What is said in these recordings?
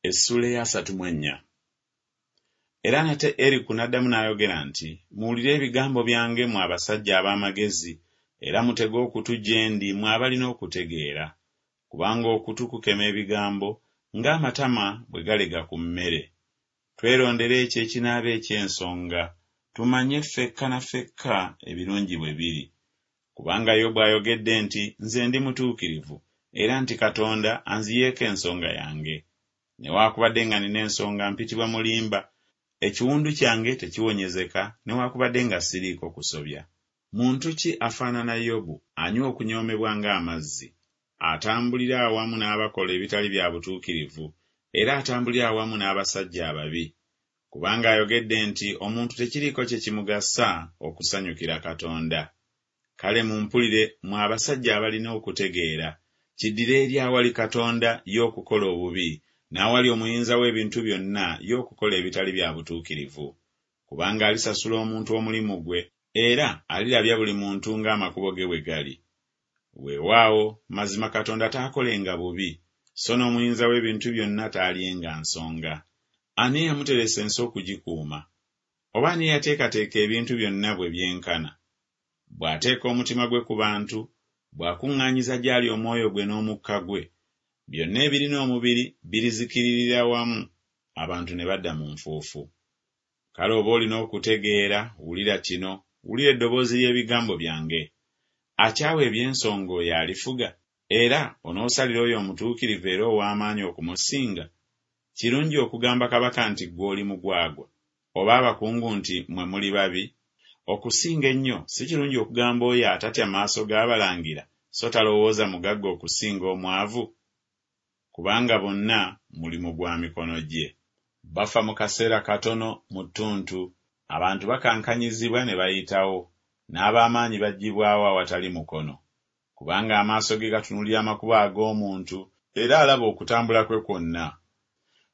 Essuula ey'asatu mu ennya. Era nate Eriku n'addamu n'ayogera nti, Muwulire ebigambo byange mmwe abasajja ab'amagezi, era mutege okutu gye ndi mmwe abalina okutegeera. Kubanga okutu kukema ebigambo, ng'amatama bwe galega ku mmere. Twerondere ekyo ekinaaba eky'ensonga, tumanye ffekka na ffekka ebirungi bwe biri. Kubanga Yobu ayogedde nti Nze ndi mutuukirivu, era nti Katonda anziyeeko ensonga yange. Newakubadde nga nina ensonga mpitibwa mulimba, ekiwundu kyange tekiwonyezeka newakubadde nga siriiko kusobya. Muntu ki afaanana Yobu, anywa okunyoomebwa ng'amazzi, atambulira awamu n'abakola ebitali bya butuukirivu, era atambulira awamu n'abasajja ababi? Kubanga ayogedde nti Omuntu tekiriiko kye kimugasa okusanyukira Katonda. Kale mumpulire mmwe abasajja abalina okutegeera, kiddire eri awali Katonda ye okukola obubi, n'awali Omuyinza w'ebintu byonna ye okukola ebitali bya butuukirivu. Kubanga alisasula omuntu omulimu gwe, era alirabya buli muntu ng'amakubo ge bwe gali. Weewaawo, mazima Katonda taakolenga bubi, so n'Omuyinza w'ebintu byonna taalyenga nsonga. Ani eyamuteresa ensi okugikuuma? Oba ani eyateekateeka ebintu byonna bwe byenkana? Bw'ateeka omutima gwe ku bantu, bw'akuŋŋaanyiza gy'ali omwoyo gwe n'omukka gwe, byonna ebirina omubiri birizikiririra wamu, abantu ne badda mu nfuufu. Kale oba olina okutegeera, wulira kino, wulira eddoboozi ly'ebigambo byange. Akyawa eby'ensonga oyo alifuga? Era onoosalira oyo omutuukirivu era ow'amaanyi okumusinga? Kirungi okugamba kabaka nti Ggwe oli mugwagwa, oba abakungu nti Mmwe muli babi? Okusinga ennyo si kirungi okugamba oyo atatya maaso g'abalangira, so talowooza mugagga okusinga omwavu? Kubanga bonna mulimu gwa mikono gye. Bafa mu kaseera katono, mu ttuntu, abantu bakankanyizibwa ne bayitawo, n'ab'amaanyi baggyibwawo awatali mukono. Kubanga amaaso ge gatunuulira amakubo ag'omuntu, era alaba okutambula kwe kwonna.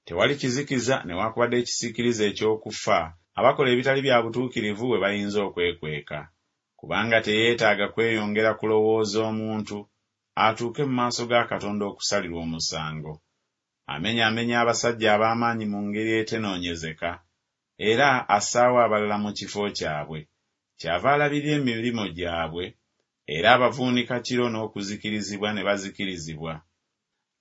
Tewali kizikiza newakubadde ekisiikirize eky'okufa, abakola ebitali bya butuukirivu we bayinza okwekweka. Kubanga teyeetaaga kweyongera kulowooza omuntu, atuuke mu maaso ga Katonda okusalirwa omusango. Amenyaamenya abasajja ab'amaanyi mu ngeri etenoonyezeka, era assaawo abalala mu kifo kyabwe. Kyava alabirira emirimu gyabwe, era abavuunika kiro n'okuzikirizibwa ne bazikirizibwa.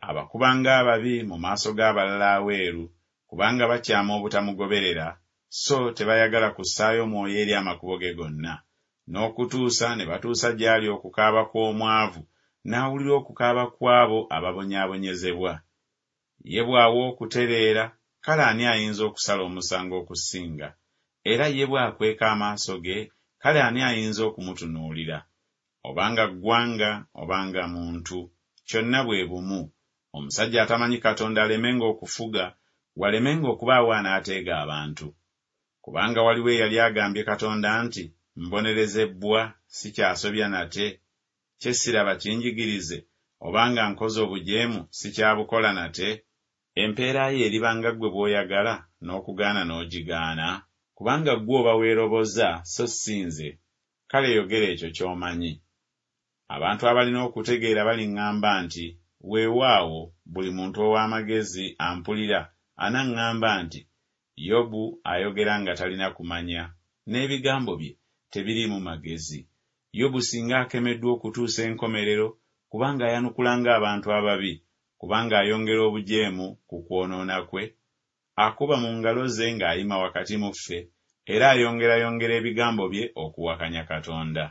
Abakuba ng'ababi mu maaso g'abalala aweeru, kubanga bakyama obutamugoberera, so tebayagala kussaayo mwoyo eri amakubo ge gonna. N'okutuusa ne batuusa gy'ali okukaaba kw'omwavu, n'awulira okukaaba kw'abo ababonyaabonyezebwa. Ye bw'awa okutereera, kale ani ayinza okusala omusango okusinga? Era ye bw'akweka amaaso ge, kale ani ayinza okumutunuulira? Oba nga ggwanga oba nga muntu, kyonna bwe bumu. Omusajja atamanyi Katonda alemenga okufuga, walemenga okubaawo anaateega abantu. Kubanga waliwo eyali agambye Katonda nti, Mbonerezebbwa, sikyasobya nate? Kye siraba kinjigirize, oba nga nkoze obujeemu, sikyabukola nate? Empeera yo eriba nga ggwe bw'oyagala, n'okugaana n'ogigaana? Kubanga ggwe oba weeroboza, so si nze, kale yogera ekyo ky'omanyi. Abantu abalina okutegeera baliŋŋamba nti, Weewaawo, buli muntu ow'amagezi ampulira anaŋŋamba nti, Yobu ayogera nga talina kumanya, n'ebigambo bye tebiriimu magezi. Yobu singa akemeddwa okutuusa enkomerero, kubanga ayanukula ng'abantu ababi, kubanga ayongera obujeemu ku kwonoona kwe, akuba mu ngalo ze ng'ayima wakati mu ffe, era ayongerayongera ebigambo bye okuwakanya Katonda.